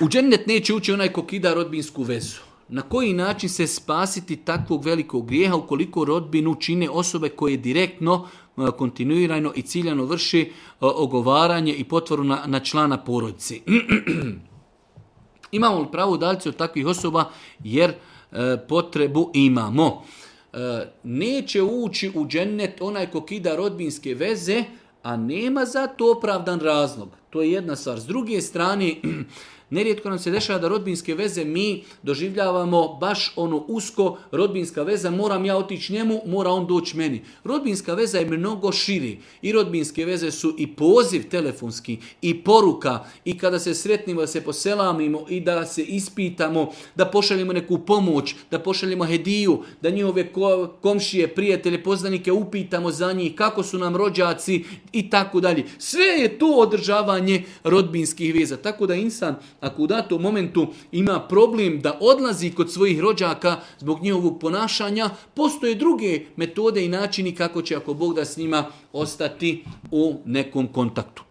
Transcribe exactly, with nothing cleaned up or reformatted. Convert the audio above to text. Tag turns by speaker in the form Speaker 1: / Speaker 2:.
Speaker 1: U džennet neće ući onaj ko kida rodbinsku vezu. Na koji način se spasiti takvog velikog grijeha ukoliko rodbinu čine osobe koje direktno, kontinuirano i ciljano vrši ogovaranje i potvoru na, na člana porodici. Imamo li pravo udaliti od takvih osoba jer e, potrebu imamo. E, neće ući u džennet onaj ko kida rodbinske veze, a nema za to opravdan razlog. To je jedna stvar. S druge strane, nerijetko nam se dešava da rodbinske veze mi doživljavamo baš ono usko, rodbinska veza, moram ja otići njemu, mora on doći meni. Rodbinska veza je mnogo širi. I rodbinske veze su i poziv telefonski, i poruka, i kada se sretnimo da se poselamimo i da se ispitamo, da pošaljemo neku pomoć, da pošaljemo hediju, da njihove komšije, prijatelje, poznanike upitamo za njih, kako su nam rođaci i tako dalje. Sve je to održavanje rodbinskih veza. Tako da insan, ako u datom momentu ima problem da odlazi kod svojih rođaka zbog njihovog ponašanja, postoje druge metode i načini kako će, ako Bog da, s njima ostati u nekom kontaktu.